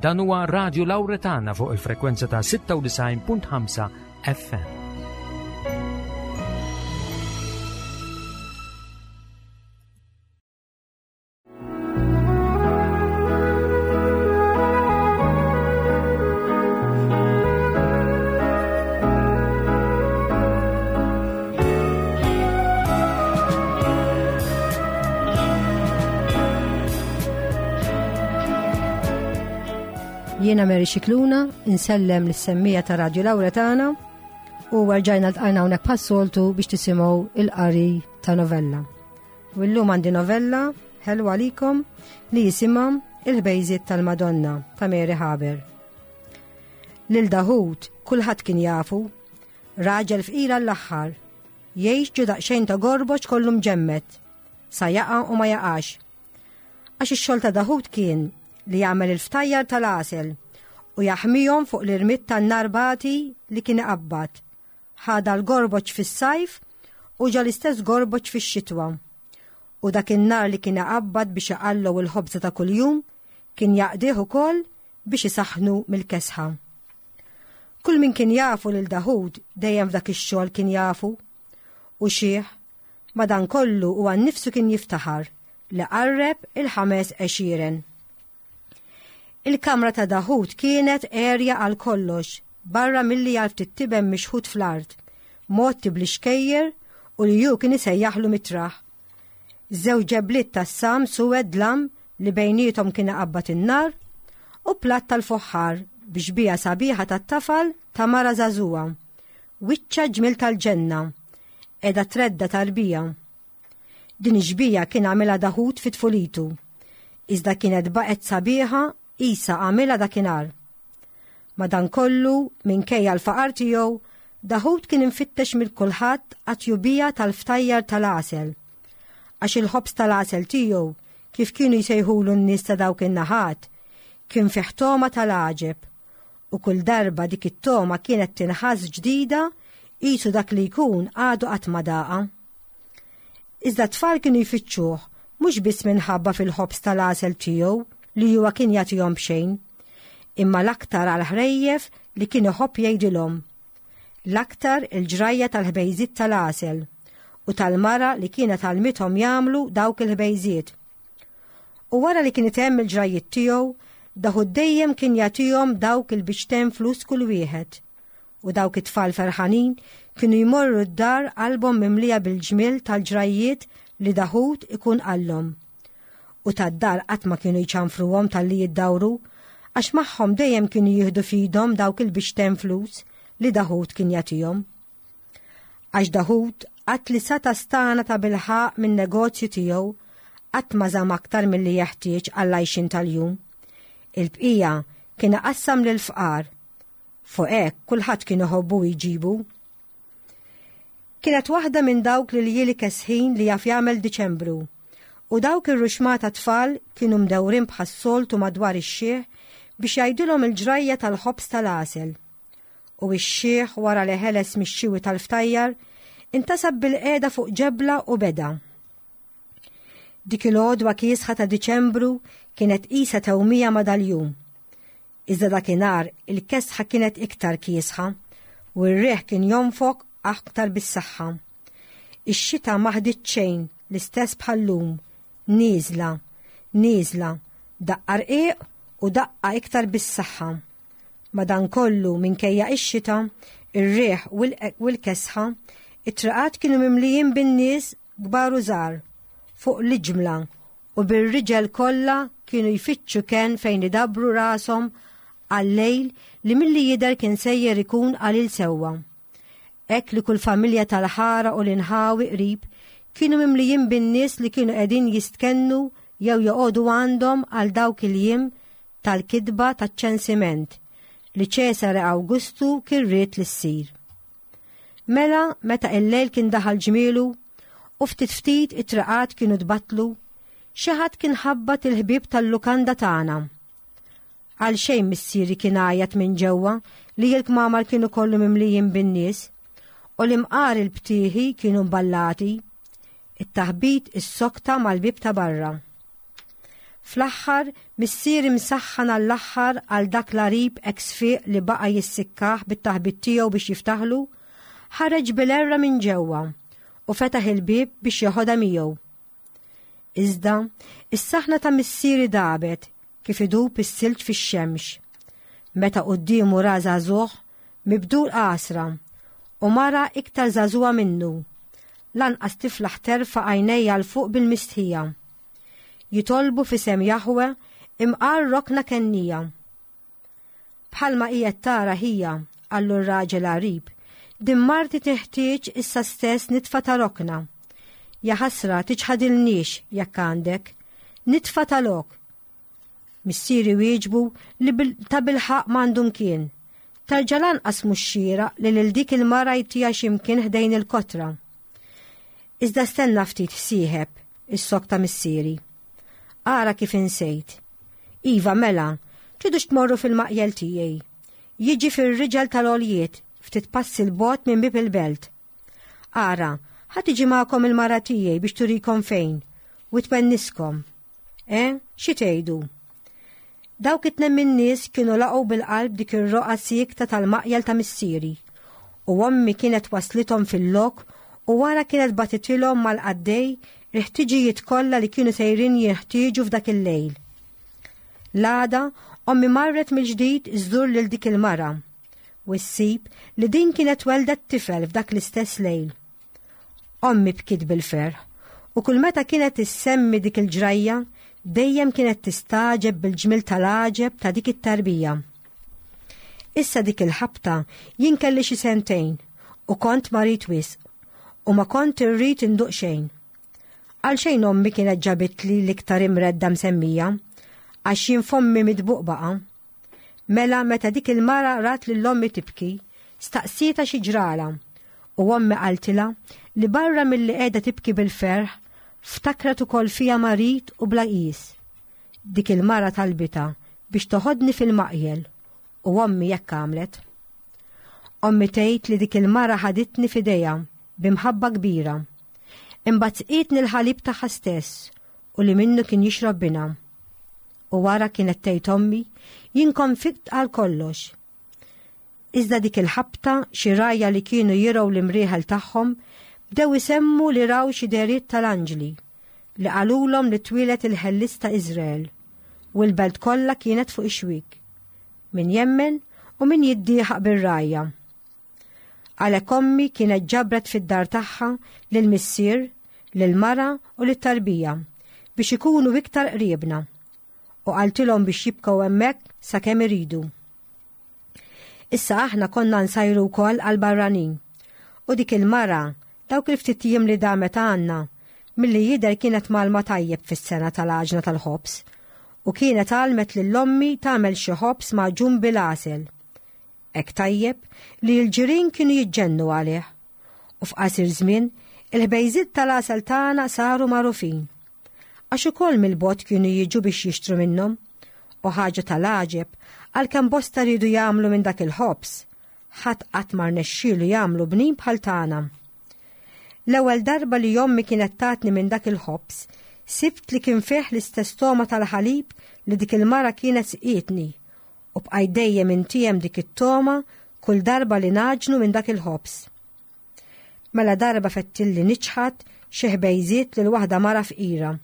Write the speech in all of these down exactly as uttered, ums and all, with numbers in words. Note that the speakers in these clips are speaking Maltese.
Dan huwa Radio Lauretana fuq il-frekwenza ta' sitta u disgħin punt ħamsa F M. Jiena Mary Xikluna, insellem lis-semmiegħa ta' Radio Lauretana u rġajna ltqajna hawnhekk bħas-soltu biex tisimgħu il-qari ta' novella. U llum għandi novella ħelwa għalikom li jisimha Il-Ħbejżiet tal-Madonna ta' Mary Haber. Lil Daħut kulħadd kien jafu, raġel fqira l-aħħar, jgħix ġo daqsxejn ta' gorboġ kollu mġemmet, sa jaqa' u ma jaqax. Għax ix-xogħol ta' Daħut kien li jagħmel il-ftajjar tal-għasel u jaħmihom fuq l-irmit tan-narbati li kien iqabbad. Ħada l-gorboġ fis-sajf u ġa l-istess gorboġ fix-xitwa. U dak in-nar li kien iqabbad biex iqallu il-ħobża ta' kuljum kien jaqdih ukoll biex isaħnu mill-kesħa. Kull min kien jafu lil Daħud dejjem f'dak ix-xogħol kien jafu u xiħ madan kollu u għan nifsu kien jiftaħar li qarreb il-ħames għexieren. Il-kamra ta' Daħud kienet għerja għal kollox, barra milli għal ftit tiben mixħut fl-art, mgħotti bl-ixkejjer u li ju kien isejjaħlu mitraħ. Żewġ ġebliet tas-sam suwed dlam li bejnietom kien iqabbad in-nar u platt tal-foħħar bi xbieha sabiħa tat-tafal ta' mara żagħżugħa. Wiċċa ġmil tal-ġenna, qiegħda tredda tarbija. Din ix-xbieha kien għamilha Daħud fit tfulitu, iżda kienet baqgħet sabiħa qisha għamilha dakinhar. Madankollu, minkejja l-faqar tiegħu, Daħud kien infittex mill kulħadd għat-tjubija tal-ftajjar tal-għasel. Għax il-ħobż tal-għasel tiegħu, kif kienu jsejħulu n-nies ta' dawk in-naħat, kien fih togħma tal-għaġeb. U kull darba dik it-togħma kienet tinħass ġdida qisu dak li jkun għadu qatt ma daqa. Iżda tfal kienu jfittxuh mhux biss minħabba fil-ħobż tal-għasel tiegħu li huwa kien jagħtihom b'xejn, imma l-aktar għal ħrejjef li kien iħobb jgħidilhom. L-aktar il-ġrajja tal-ħbejżiet tal-għasel u tal-mara li kienet għallmithom jagħmlu dawk il-ħbejżiet. U wara li kien itemm il-ġrajjiet tiegħu, Daħud dejjem kien jagħtihom dawk il-biċċtejn flus kull wieħed. U dawk it-tfal ferħanin kienu jmorru d-dar qalbhom mimlija bil-ġmil tal-ġrajjiet li Daħud ikun qallhom. U tad-dar qatt ma kienu jċanfruhom talli jiddawru, għax magħhom dejjem kienu jieħdu f'idhom dawk il-biċċtejn flus li Daħud kien jagħtihom. Għax Daħud qatt li sata stana ta' bilħaq minn negozju tiegħu qatt ma żamm aktar milli jeħtieġ għall-għajxin tal-jum. Il-bqija kien qassam lil fqar. Fuq hekk kulħadd kien iħobbu jġibu. Kienet waħda minn dawk li ljieli kesħin li jaf jagħmel Diċembru. U dawk ir-ruxmata tfal kienu mdewrin bħas-soltu madwar ix-xiħ biex jgħidilhom il-ġrajja tal-ħobż tal-għasel. U x-xiħ wara li ħeles mix-xiwi tal-ftajjar intasab bil-qiegħda fuq ġebla u beda. Dik il-għodwa kiesħa ta' Diċembru kienet qisha tewmija ma' dal-jum. Iżda dakinhar il-kesħa kienet iktar kiesħa u r-riħ kien jonfoq aktar bis-saħħa. Ix-xita ma ħdiet xejn l-istess bħal-lum, nieżla, nieżla, daqqa rqiq u daqqa iktar bis-saħħa. Madankollu minkejja ix-xita, ir-riħ u l-kesħa, it-triqat kienu mimlijin bin-nies kbar u żgħar fuq l-iġmla u bir-riġel kollha kienu jfittxu ken fejn idabru rashom għal-lejl li milli jidher kien sejjer ikun qalil sewwa. Hekk li kull familja tal-ħara u l-inħawi qrib kienu mimlijin bin-nies li kienu qegħdin jistkennu jew joqogħdu għandhom għal dawk il-jiem tal-kidba taċ-ċensiment li Ċesare Awgustu kien ried li ssir. Mela meta il-lejl kien daħal ġmielu u ftit ftit it-triqat kienu tbatlu, xi ħadd kien ħabbat il-ħbieb tal-lukanda tagħna. Għal xejn missieri kien għajat minn ġewwa li l-kmamar kienu kollu mimlijin bin-nies u l-imqar il-btieħi kienu mballati, it-taħbit is-sokta mal-bib ta' barra. Fl-aħħar, missieri msaħħan għall-aħħar għal dak l-għarib ex-fiq li baqa' jissikkah bit-taħbit tiegħu biex jiftaħlu, ħareġ bil-herra minn ġewwa u fetaħ il-bieb biex jeħodha miegħu. Iżda, is-saħna ta' missieri dabet kif idub is-silġ fix-xemx. Meta quddiemu ra żagħżugħ mibdul għasra u mara iktar żagħżugħa minnu. Lanqas tiflaħ terfa' għajnejha 'l fuq bil-mistħija. Jitolbu f'isem Jaħwe imqar rokna kennija. Bħalma qiegħed tara ħija, qallu r-raġel għarib, din marti teħtieġ issa stess nitfa ta' rokna. Jaħasra tiċħadilniex jekk għandek, nitfa ta' lok. Missieri wieġbu li ta' bilħaq m'għandu mkien. Terġa' lanqas mhux xieraq li lil dik il-mara jtiha xi mkien ħdejn il-kotra. Iżda stenna ftit sieħeb, is-sok ta' missieri. Ara kif insejt. Iva mela, tridux tmorru fil-maqjel tiegħi. Jiġi fir-riġel tal-għoljiet, ftit passi 'l bogħod minn bieb il-belt. Ara, ħa tiġi magħkom il-mara tiegħi biex turikom fejn, u twenniskom. Eh, xi tgħidu? Dawk it-tnejn min-nies kienu laqgħu bil-qalb dik ir-roqgħa siekta tal-maqjel ta' missieri, u ommi kienet waslithom fil-lok u wara kienet batitilhom mal-qaddej il-ħtiġijiet kollha li kienu sejrin jinħtieġu f'dak il-lejl. L-għada, ommi marret mill-ġdid iżżur lil dik il-mara u ssib li din kienet weldet tifel f'dak l-istess lejl. Ommi bkiet bil-ferħ u kull meta kienet issemmi dik il-ġrajja dejjem kienet tistagħġeb bil-ġmil tal-għaġeb ta' dik it-tarbija. Issa dik il-ħabta jien kelli xi sentejn u kont marid wisq u ma kont irrid induq xejn. Għalxejn ommi kienet ġabitli l-iktar imredda msemmija, għax jien fommi mitbuq baqa'. Mela meta dik il-mara rat lil ommi tibki, staqsietha xi ġrala, u ommi qaltilha li barra milli qiegħda tibki bil-ferħ, ftakret ukoll fija marid u bla qis. Dik il-mara talbitha biex toħodni fil-maqjel, u ommi hekk għamlet. Ommi tgħid li dik il-mara ħaditni f'idejha b'imħabba kbira. Imbagħad sqietni l-ħalib tagħha stess u li minnu kien jixrob binha. U wara kienet tgħid ommi, jien kont fiqt għal kollox. Iżda dik il-ħabta xi rgħajja li kienu jirgħu l-imrieħel tagħhom bdew isemmu li raw xi dehriet tal-anġli li qalulhom li twieled il-ħellis ta' Iżrael u l-belt kollha kienet fuq ix-xwiek. Min jemmen u min jiddieħaq bir-rgħajja. Għalhekk ommi kienet ġabret fid-dar tagħha lil missier, lil mara u lit-tarbija biex ikunu iktar qriebna u qaltilhom biex jibqgħu hemmhekk sakemm iridu. Issa aħna konna nsajru wkoll għal-barranin u dik il-mara dawk il-ftit jiem li damet għandna milli jidher kienet mgħallma tajjeb fis-sengħa tal-għaġna tal-ħobż u kienet għallmet lil ommi tagħmel xi ħobż magħġun bil-għasel. Hekk tajjeb li l-ġirien kienu jiġġennu għalih u f'qasir żmien il-ħbejżiet tal-għasel tagħna saru magħrufin. Għax ukoll mill-bogħod kienu jiġu biex jixtru minnhom u ħaġa tal-għaġeb għalkemm bosta riedu jagħmlu minn dak il-ħobż, ħadd qatt ma rnexxielu jagħmlu bnin bħal tagħna. L-ewwel darba li ommi kienet tatni minn dak il-ħobż, sibt li kien fih l-istess togħma tal-ħalib li dik il-mara kienet sqietni u bqajt dejjem intiegħem dik it-togħma kull darba li nagħġnu minn dak il-ħobż. Mela darba fettilli niċħad xi ħbejżiet lil waħda mara fqira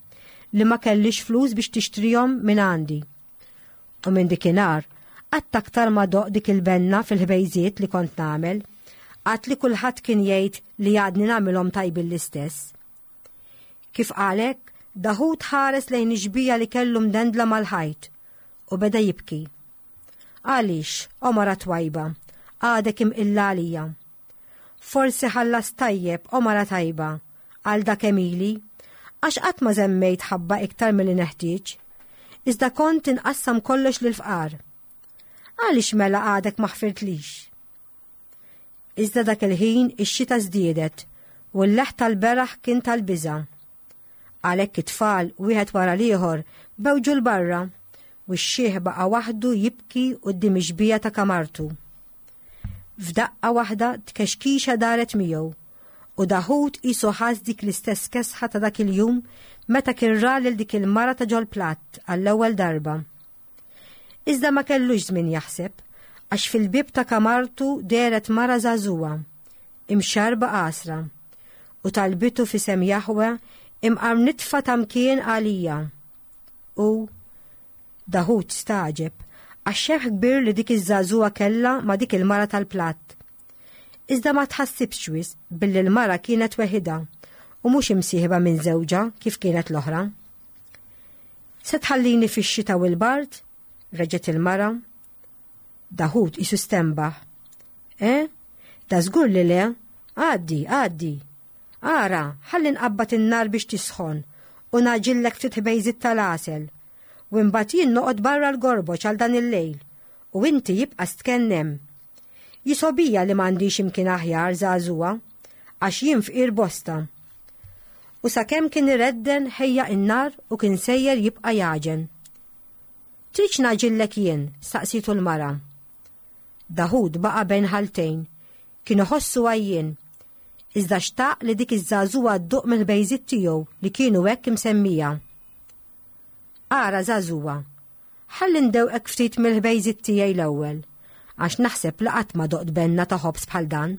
li ma kellix flus biex tixtrihom minn għandi. U minn dikinhar qatt aktar ma doqt dik il-benna fil-ħbejżiet li kont nagħmel, għad li kulħadd kien jgħid li għadni nagħmilhom tajbin l-istess. Kif qalek, Daħud ħares lejn ix-xbieha li kellu mdendla mal-ħajt u beda jibki. Għaliex, o mara twajba, għadek imqilla għalija. Forsi ħallas tajjeb, o mara tajba, għal dak għemili, għax qatt ma żemmejt ħabba iktar milli neħtieġ, iżda kont inqassam kollox lill-fqar. Għaliex mela għadek ma ħfirtlix? Iżda dak il-ħin ix-xita żdiedet u l-leħ tal-beraħ kien tal-biża'. Għalhekk it-tfal wieħed wara l-ieħor bewġu 'l barra u x-xiħ baqa' waħdu jibki quddiem ix-xbieha ta' kamartu. F'daqqa waħda tkexkixa daret miegħu U Daħud qisu ħass dik l-istess kesħa ta' dak il-jum meta kien ra lil dik il-mara ta' ġol-platt għall-ewwel darba. Iżda ma kellux żmien jaħseb, għax fil-bieb ta' kamartu dehret mara żagħżugħa, imxarba qasra, u talbitu f'isem Jaħwe imqar nitfa ta' mkien għalija. U Daħud stagħġeb għax xebh kbir li dik iż-żagħżugħa kellha ma' dik il-mara tal-platt. Iżda ma tħassibx wisq billi l-mara kienet weħidha u mhux imsieħba minn żewġha kif kienet l-oħra. Se tħallini fix-xita u l-bard? Reġgħet il-mara. Daħud qisu stenbaħ. Eh? Da żgur li le, għaddi, għaddi. Ara, ħalli nqabbad in-nar biex tisħon u naġillek ftit ħbejżit tal-għasel. U imbagħad jien noqgħod barra l-gorboġ għal dan il-lejl u inti jibqa' stkenn hemm. Jisobija li m'għandix imkien aħjar żagħżugħa għax jien fqir bosta. U sakemm kien iredden ħejja in-nar u kien sejjer jibqa' jaġen. Tridx naġillek jien, staqsitu l-mara. Daħud baqa' bejn ħaltejn, kien iħossu għajjien. Iżda xtaq li dik iż-żagħżugħa dduq mill-ħbejżiet tiegħu li kienu hekk imsemmija. Ara żagħżugħa, ħalli ndewqek ftit mill-ħbejżiet tiegħi l-ewwel, għax naħseb li qatt ma doqt benna ta' ħobż bħal dan.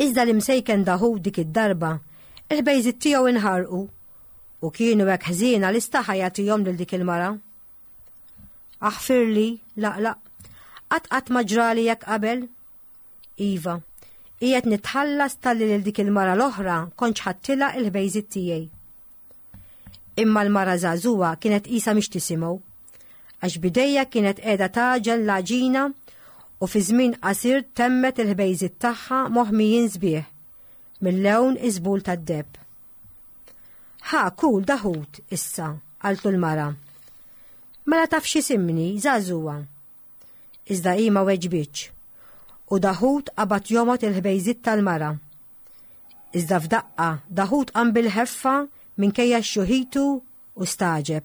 Iżda l-imsejken Daħud dik id-darba, il-ħbejżiet tiegħu inħarqu u kienu hekk ħżiena li staħa jagħtihom lil dik il-mara. Aħfirli, laqlaq, qatt qatt ma ġrali hekk qabel. Iva, qiegħed nitħallas talli lil dik il-mara l-oħra kontx ħadtilha il-ħbejżiet tiegħi. Imma l-mara żagħżugħa kienet qisha mhix tisimgħu, għax bidejja kienet qiegħda tagħġen l-għaġina u fi żmien qasir temmet il-ħbejżiet tagħha moħmijin sbieħ mill-lewn iżbul tad-deheb. Ħa kul Daħud issa, qaltlu l-mara. Mela taf x'isimni, żagħżugħa. Iżda hi ma weġbitx. U Daħud qabad jomgħod il-ħbejżiet tal-mara. Iżda f'daqqa Daħud qam bil-ħeffa minkejja x-xuħitu u stagħġeb.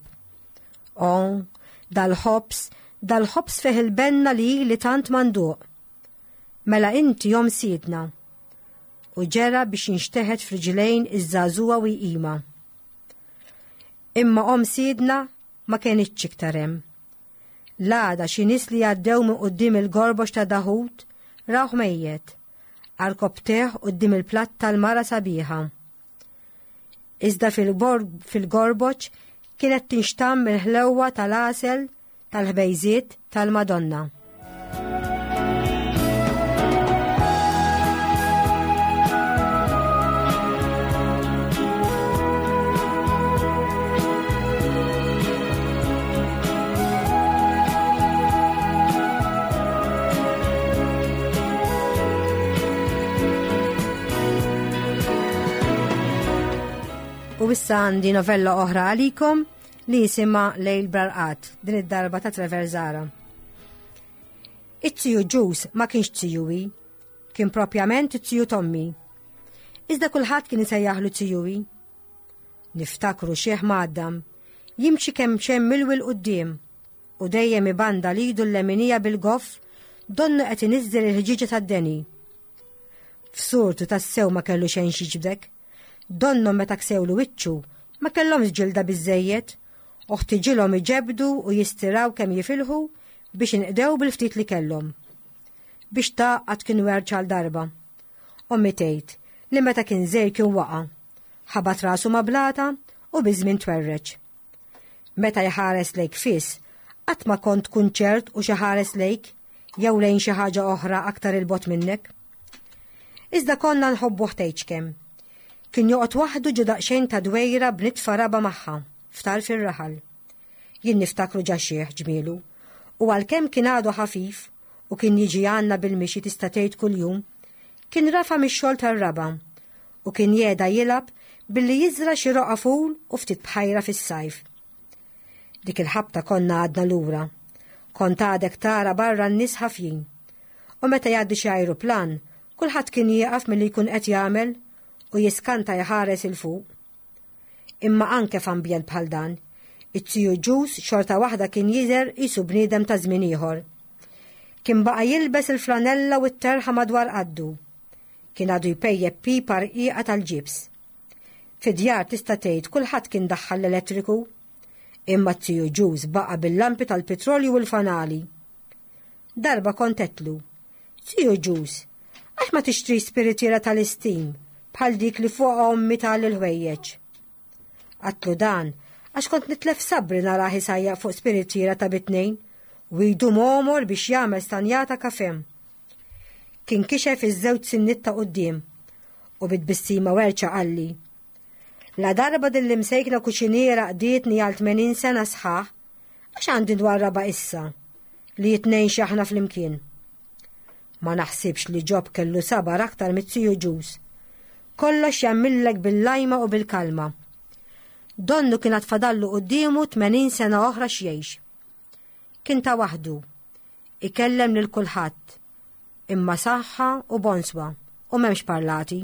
O, dal-ħobż, dal-ħobż fih il-benna li li tant manduq. Mela inti jom sidna. U ġera biex jinxteħet f'riġlejn iż-żagħżugħa u jqima. Imma om sidna ma kenitx iktar hemm. L-għada xi nies li għaddew minn quddiem il-gorbox ta' Daħud rawh mejjet, għarkopptejh quddiem il-platt tal-mara sabiħa. Iżda fil-gorboċ kienet tinxtamm il-ħlewwa tal-għasel tal-ħbejżiet tal-Madonna. U issa għandi novella oħra għalikom li jisimha Lejl Brarqat, din id-darba ta' Trevor Zahra. It-tiju Ġus ma kienx tijuwi, kien propjament it-tiju Tommy. Iżda kulħadd kien isejjaħlu tijuwi. Niftakru xieħ mgħaddam, jimxi kemm xemm milwi 'l quddiem u dejjem ibanda lidu l-leminija bil-goff donnu qed iniżżel il-ħġieġa tad-deni. F'surtu tassew ma kellu xejn xiġbdek. Donnu meta ksewlu wiċċu ma kellhomx ġilda biżżejjed u ħtiġilhom iġebdu u jistiraw kemm jifilħu biex inqdew bil-ftit li kellhom. Biex tgħaqqad kien werċ għal darba. Ommi tgħid li meta kien żgħir kien waqa', ħabat rasu ma' blata u biż-żmien twerreġ. Meta jħares lejk fis, qatt ma kont tkun ċert u xi ħares lejk jew lejn xi ħaġa oħra aktar il-bogħod minnek. Iżda konna nħobbu ħtejġ kemm. Kien joqgħod waħdu ġo daqsxejn ta' dwejra b'nitfa raba magħha f'tarf ir-raħal. Jien niftakru ġa xieħ ġmielu, u għalkemm kien għadu ħafif u kien jiġi għandna bil-mixi tista' tgħid kuljum, kien rafa mix-xogħol tar-raba u kien jeda jilgħab billi jiżra xi roqa ful u ftit bħajra fis-sajf. Dik il-ħabta konna għadna lura. Kont għadek tara barra n-nies ħafjin. U meta jgħaddi xi ajruplan, kulħadd kien jieqaf milli jkun qed jagħmel u jiskanta jħares il fuq. Imma anke f'ambjent bħal dan, it-tiju Ġus xorta waħda kien jidher qisu bniedem ta' żmien ieħor. Kien baqa' jilbes il-flanella u t-terħa madwar qaddu. Kien għadu jpejjep pipa rqiqa tal-ġibs. Fid-djar tista' tgħid kulħadd kien daħħal l-elettriku. Imma t-tiju Ġuż baqa' bil-lampi tal-petrolju u l-fanali. Darba kont għedtlu, Tiju Ġuż, għax ma tixtri spiritiera tal-istim bħal dik li fuqha ommi tgħalli l-ħwejjeġ? Għedtlu dan għax kont nitlef sabri narah isajjar fuq spiritiera ta' bitnejn u jdum għomor biex jagħmel stanjata kafè. Kien kixef iż-żewġ sinniet ta' quddiem u bit-tbissima werċa qalli. La darba din l-imsejkna kuċiniera qdietni għal tmenin sena sħaħ, għax għandi nwarrabha issa li jitnejn xaħna flimkien. Ma naħsibx li Ġob kellu sabar aktar mit-tiju Ġuż. Kollox jagħmillek bil-lajma u bil-kalma. Donnu kien għad fadallu quddiemu tmenin sena oħra x'jgħix. Kien ta' waħdu, ikellem lil kulħadd, imma saħħa u bonswa u m'hemmx parlati.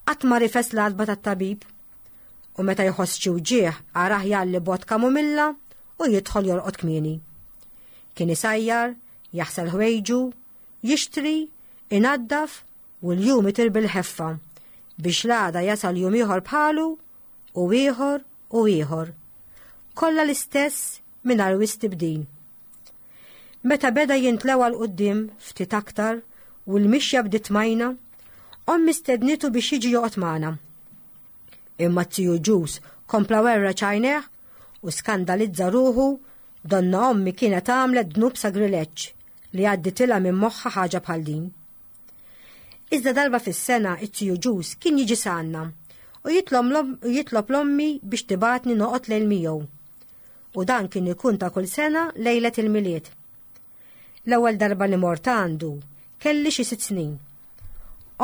Qatt ma rifes l-għatba tat-tabib u meta jħoss xi wġigħ arah jgħalli bott kamumilla u jidħol jorqod kmieni. Kien isajjar, jaħsel ħwejġu, jixtri, inaddaf u l-jum itir bil-ħeffa biex l-għada jasal jum ieħor bħalu u ieħor u ieħor. Kollha l-istess mingħajr wisq tibdil. Meta beda jintlewa 'l quddiem ftit aktar u l-mixja bdiet majna, ommi stednitu biex jiġi joqgħod magħna. Imma t-tiju Ġuż kompla werreġ għajnejh u skandalizza ruħu donna ommi kienet għamlet dnub sagrileġġ li għadditilha minn moħħha ħaġa bħal din. Iżda darba fis-sena it-tiju Ġuż kien jiġi s'għandna u jitlob l-ommi biex tibgħatni noqgħod lejl miegħu. U dan kien ikun ta' kull sena lejlet il-Milied. L-ewwel darba li mort għandu kelli xi sitt snin.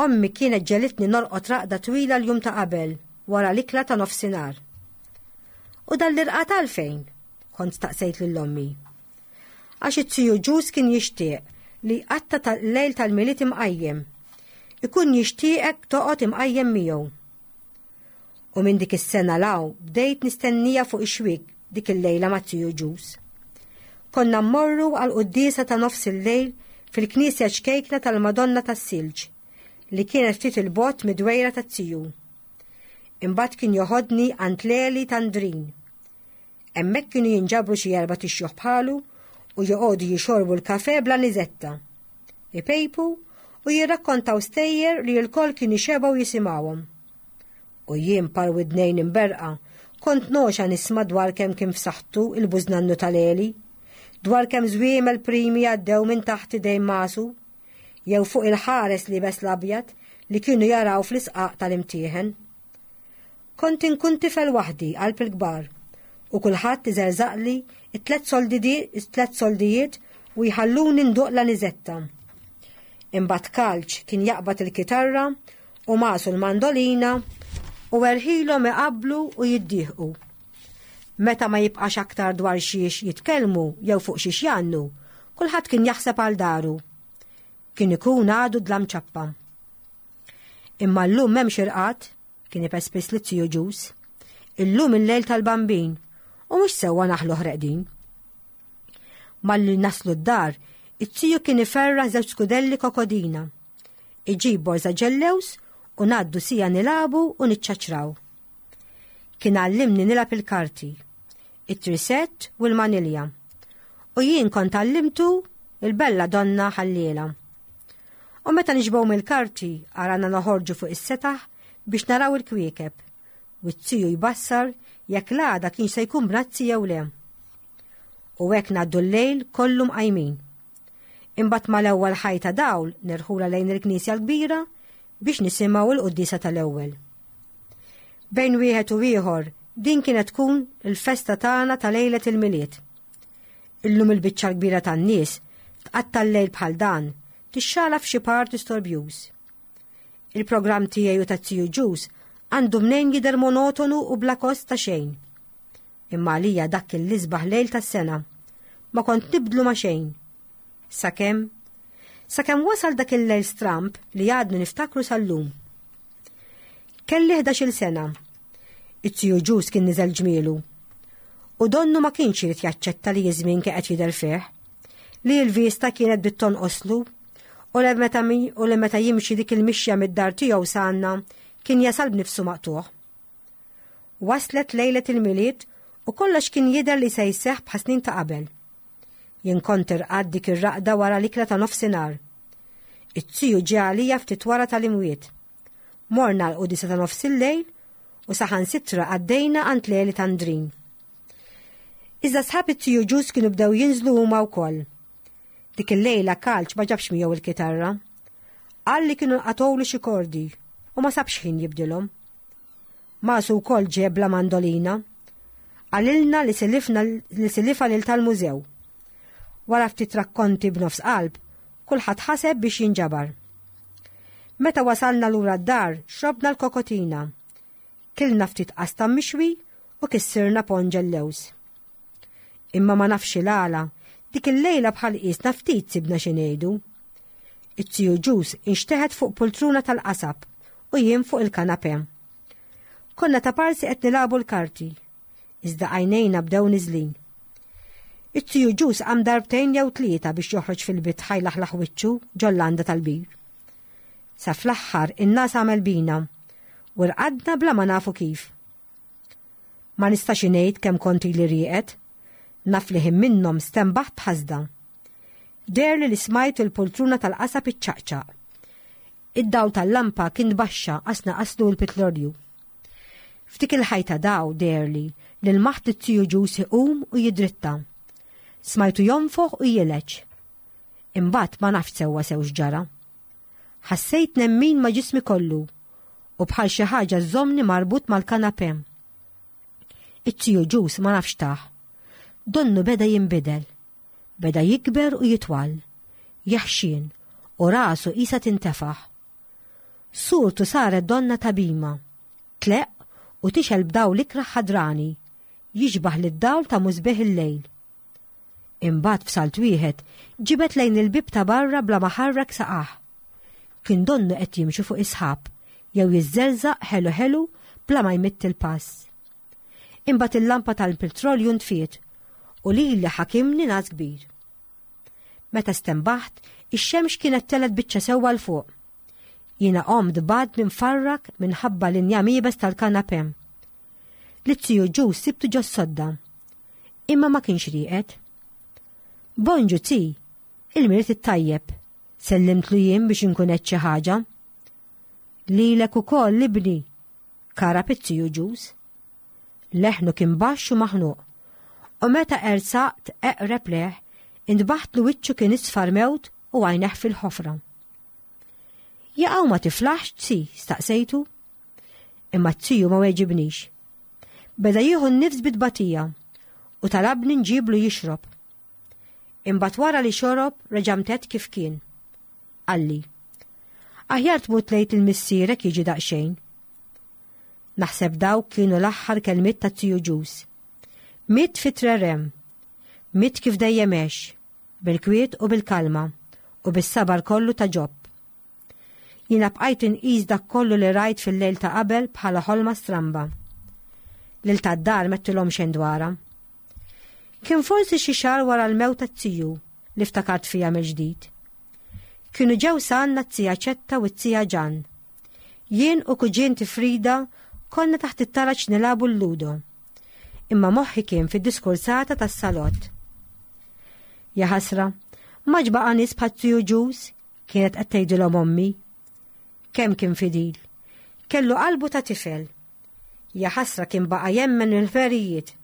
Ommi kienet ġegħlitni norqod raqda twila l-jum ta' qabel wara l-ikla ta' nofsinhar. U dan l-irqad għalfejn? Kont staqsejt lil ommi. Għax it-tiju Ġuż kien jixtieq li jqatta' tal-lejl tal-Milied imqajjem. Ikun jixtieqek toqgħod imqajjem miegħu. U minn dik is-sena 'l hawn bdejt nistennija fuq ix-xwiek dik il-lejla ma' tiju Ġuż. Konna mmorru għal quddiesa ta' nofs il-lejl fil-knisja ċkejkna tal-Madonna tas-Silġ li kienet ftit il-bogħod mid-dwejra tat-tiju. Imbagħad kien joħodni għand Leli Tandrin. Hemmhekk kienu jinġabru xi erba' tixjuħ bħalu u joqogħdu jixorbu l-kafe bla niżetta. Ipejpu u jirrakkontaw stejjer li l-koll kienu xebgħu jisimgħuhom. U jien par widnejn imberqa kont noxa nisma' dwar kemm kien f'saħħtu il-bużnannu tal-Eli, dwar kemm żwiemel primi għaddew minn taħt idejn masu, jew fuq il-ħares liebes l-abjad li kienu jaraw fl-isqaq tal-imtieħen. Kont inkun tifel waħdi qalb il-kbar u kulħadd iżerżaqli it-tlet it-tlet soldijiet u jħalluni nduq la niżetta. Imbagħad Kalċ kien jaqbad il-kitarra u masu l-mandolina u erħilhom iqabblu u jiddieħqu. Meta ma jibqax aktar dwar xiex jitkellmu jew fuq xiex jgħannu, kulħadd kien jaħseb għal daru. Kien ikun għadu dlam ċappa. Imma llum m'hemmx irqad, kien ipespis li tiju Ġuż. Illum il-lejl tal-Bambin u mhux sewwa naħluh reqdin. Malli naslu d-dar, it-tiju kien iferra żewġ skudelli kokodina. Iġib borża ġellews u ngħaddu siegħa nilagħbu u niċċaċraw. Kien għallimni nilgħab il-karti, it-trisett u l-manilja. U jien kont għallimtu il-bella donna ħalliela. U meta nixbgħu mill-karti arana noħorġu fuq is-setaħ biex naraw il-kwiekeb u t-tiju jbassar jekk l-għada kien se jkun bnazzi jew le. U hekk ngħaddu l-lejl kollu mqajmin. Imbagħad mal-ewwel ħajta dawl nerħula lejn il-knisja l-kbira biex nisimgħu l-quddiesa tal-ewwel. Bejn wieħed u ieħor din kienet tkun il-festa tagħna ta' lejlet il-Milied. Illum il-biċċa l-kbira tan-nies tqatta' l-lejl bħal dan tixxala f'xi party storbjuż. Il-programm tiegħi u tat-tiju Ġuż għandu mnejn jidher monotonu u bla kost ta' xejn. Imma għalija dak kien l-isbaħ lejl tas-sena. Ma kont nibdlu ma' xejn. Sakemm sakemm wasal dak il-lejl stramb li għadnu niftakru sal-lum. Kelli ħdax-il sena. It-tiju Ġuż kien niżel ġmielu. U donnu ma kienx irid jaċċetta li iż-żmien kien qed jidher fih, li l-vista kienet bdiet tonqoslu U li meta jimxi dik il-mixja mid-dar tiegħu sanna kien jasal b'nifsu maqtuħ. Waslet lejlet il-Milied u kollox kien jidher li se jseħħ bħas-snin ta' qabel. Jien kont irqadt dik ir-raqda wara l-ikla ta' nofsinhar. It-tiju ġie għalija ftit wara tal-imwiet. Morna l-qudisa ta' nofs il-lejl u saħansitra għaddejna għand Leli Tandrin. Iżda sħab it-tiju Ġus kienu bdew jinżlu huma wkoll. Dik il-lejla Kalċ ma ġabx miegħu il-kitarra. Qal li kienu nqatgħulu xi kordi u ma sabx ħin jibdilhom. Masu wkoll ġeb la mandolina. Qalilna li silifna li silifa lil tal-mużew. Wara ftit rakkonti b'nofs qalb, kulħadd ħaseb biex jinġabar. Meta wasalna lura d-dar, xrobna l-kokotina. Kilna ftit qastam mixwi u kissirna ponn ġellewż. Imma ma nafx il-għala, dik il-lejla bħal qisna ftit sibna xi ngħidu. It-tiju Ġus inxteħet fuq pultruna tal-qasab u jien fuq il-kanapè. Konna ta' parsi qed nilagħbu l-karti, iżda għajnejna bdew niżlin. It-tiju Ġus qam darbtejn jew tlieta biex joħroġ fil-bitħa jlaħlaħ wiċċu ġol-landa tal-bir. Sa fl-aħħar in-nas għamel bina u rqadna bla ma nafu kif. Ma nistax ngħid kemm kont ili rieqed, naf li ħin minnhom stenbaħt b'ħasda. Deherli li smajt il-pultruna tal-qasab iċċaqċaq. Id-dawl tal-lampa kien baxxa qasna qaslu l-pitlorju. F'dik il-ħajta daw deherli li lmaħt it-tiju Ġus iqum u jidritta. Smajtu jonfoħ u jileġ. Imbagħad ma nafx sewwa sew x'ġara. Ħassejt nemmin ma' ġismi kollu u bħal xi ħaġa żżommni marbut mal-kanapè. It-tiju Ġus ma nafx tah. Donnu beda jinbidel. Beda jikber u jitwal. Jaħxin u rasu qisha tintefaħ. Surtu saret donna tabima. Tleqq u tixgħel b'dawl ikrah ħadrani, jixbah lid-dawl ta' musbieħ il-lejl. Imbagħad f'salt wieħed ġibed lejn il-bieb ta' barra bla ma ħarrek saqah. Kien donnu qed jimxi fuq is-sħab jew jiżżelżaq ħelu ħelu bla ma jmitt il-pass. Imbagħad il-lampa tal-petrolju ntfiet u lili ħakimni nas kbir. Meta stenbaħt, ix-xemx kienet telgħet biċċa sewwa 'l fuq. Jiena qomt b'għadmi mfarrak minħabba l-injam iebes tal-kanapè. Lit-tiju Ġus sibtu ġos-sodda. Imma ma kienx rieqed. Bonġu zi, il-Milied it-tajjeb, sellimtlu jien biex inkun qed xi ħaġa. Lilek ukoll ibni, karab it-tiju Ġus. Leħnu kien baxx u maħnuq. U meta ersaqt eqreb leh, intbaħt li wiċċu kien isfar mewt u għajneh fil-ħofra. Jaqaw ma tiflaħx tzi, staqsejtu. Imma t-tiju ma weġibnix. Beda jieħu n-nifs bit-tbatija u talabni nġiblu jixrob. Imbagħad wara li xorob reġa' mtedd kif kien. Qalli, aħjar tmut lejt il-missierek jiġi daqsxejn. Naħseb dawk kienu l-aħħar kelmiet ta' tiju Ġus. Miet fit-trerem, miet kif dejjem għex, bil-kwiet u bil-kalma u bis-sabar kollu ta' Ġob. Jiena bqajt inqis dak kollu li rajt fil-lejl ta' qabel bħala ħolma stramba. Lil tad-dar m'għedtilhom xejn dwarha. Kien forsi xi xahar wara l-mewt tat-tiju li ftakart fija mill-ġdid. Kienu ġew s'għandna t-tija Ċetta u t-tija Ġan. Jien u kuġinti Frida konna taħt it-taraġ nilagħbu l-ludo. Imma moħħi kien fid-diskursata tas-salott. Ja ħasra, ma baqa' nies bħat-tiju Ġus, kienet qed tgħidilhom ommi. Kemm kien fidil. Kellu qalbu ta' tifel. Ja ħasra kien baqa' jemmen il-ferijiet.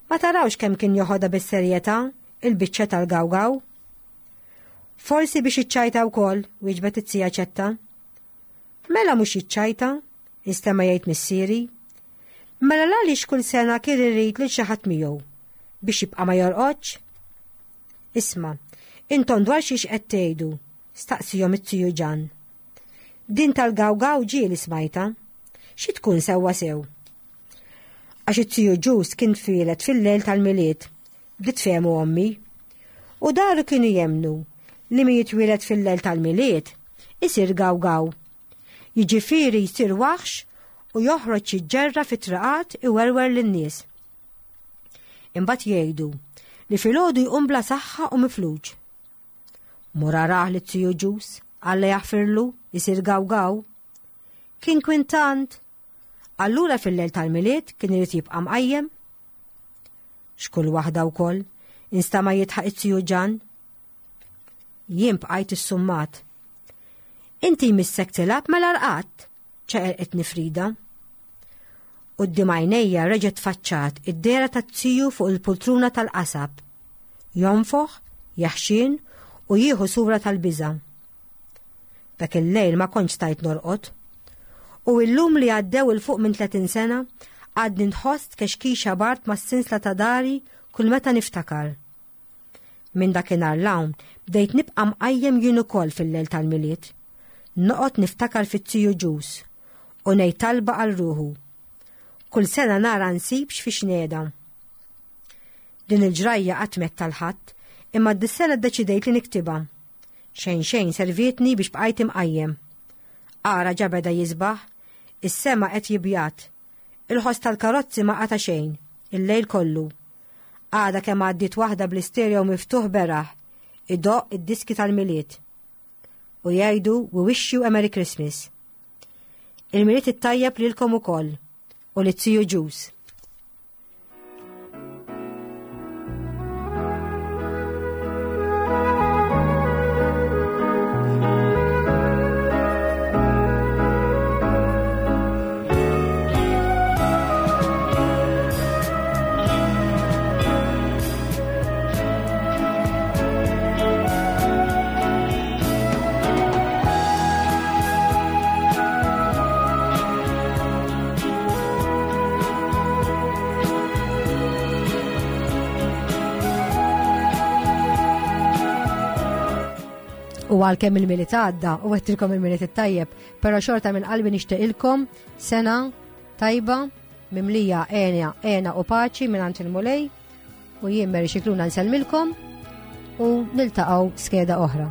Ma tarawx kemm kien joħodha bis-serjetà il-biċċa tal-gawgaw. Forsi biex iċċajta wkoll, wieġbet it-tija Ċetta. Mela mhux jiċċajta, instema' jgħid missieri. Mela għaliex kull sena kien irid lil xi ħadd miegħu biex jibqa' ma jorqodx? Isma', intom dwar xiex qed tgħidu, staqsihom it-tiju Ġan. Din tal-gawgaw ġieli smajta. Xi tkun sewwa sew? Għax it-tiju Ġus kien twieled fil-lejl tal-Milied, bdiet tfehmu ommi. U daru kienu jemmnu li min jitwieled fil-lejl tal-Milied isir gawgaw. Jiġifieri jsir waħx u joħroġ jiġġerra fit-triqat iwerwer lin-nies. Imbagħad jgħidu li filgħodu jqum bla saħħa u mifluġ. Mur arah lit-tiju Ġus, Alla jaħfirlu, isir gawgaw. Kien kwintant. Allura fil-lejl tal-Milied kien irid jibqa' mqajjem. X'kull waħda wkoll, instama' jidħaq it-tiju Ġan. Jien bqajt issummat. Inti jmissek tilgħab mela rqadt, ċeqerqitni Frida. Quddiem għajnejja reġgħet tfaċċat id-dehra tat-tiju fuq il-pultruna tal-qasab. Jonfoħ, jaħxin u jieħu sura tal-biża'. Dak il-lejl ma kontx stajt norqod. U illum li għaddew 'il fuq minn tletin sena, għadni nħoss tkexkixa bard mas-sinsla ta' dari kull meta niftakar. Minn dakinhar 'l hawn bdejt nibqa' mqajjem jien ukoll fil-lejl tal-Milied. Noqgħod niftakar fit-tiju Ġus u ngħid talba għal ruħu. Kull sena nara nsibx fi xneda. Din il-ġrajja qatt m'għedt tal-ħadd, imma dis-sena ddeċidejt li niktibha. Xejn xejn servietni biex bqajt imqajjem. Ara ġa beda jisbaħ, is-sema qed jibjat. Il-ħoss tal-karozzi ma qata' xejn, il-lejl kollu. Għada kemm għaddiet waħda bl-istereo miftuħ beraħ, idoqq id-diski tal-Milied. U jgħidu we wish you a Merry Christmas. Il-Milied it-tajjeb lilkom ukoll u lit-tiju Ġus. U għalkemm il-Milied għadda u għedtilkom il-Milied it-tajjeb, però xorta minn qalbi nixtieqilkom sena tajba mimlija għena, għena u paċi minn għand il-Mulej, u jien Mary Scicluna nsellmilkom u niltaqgħu skeda oħra.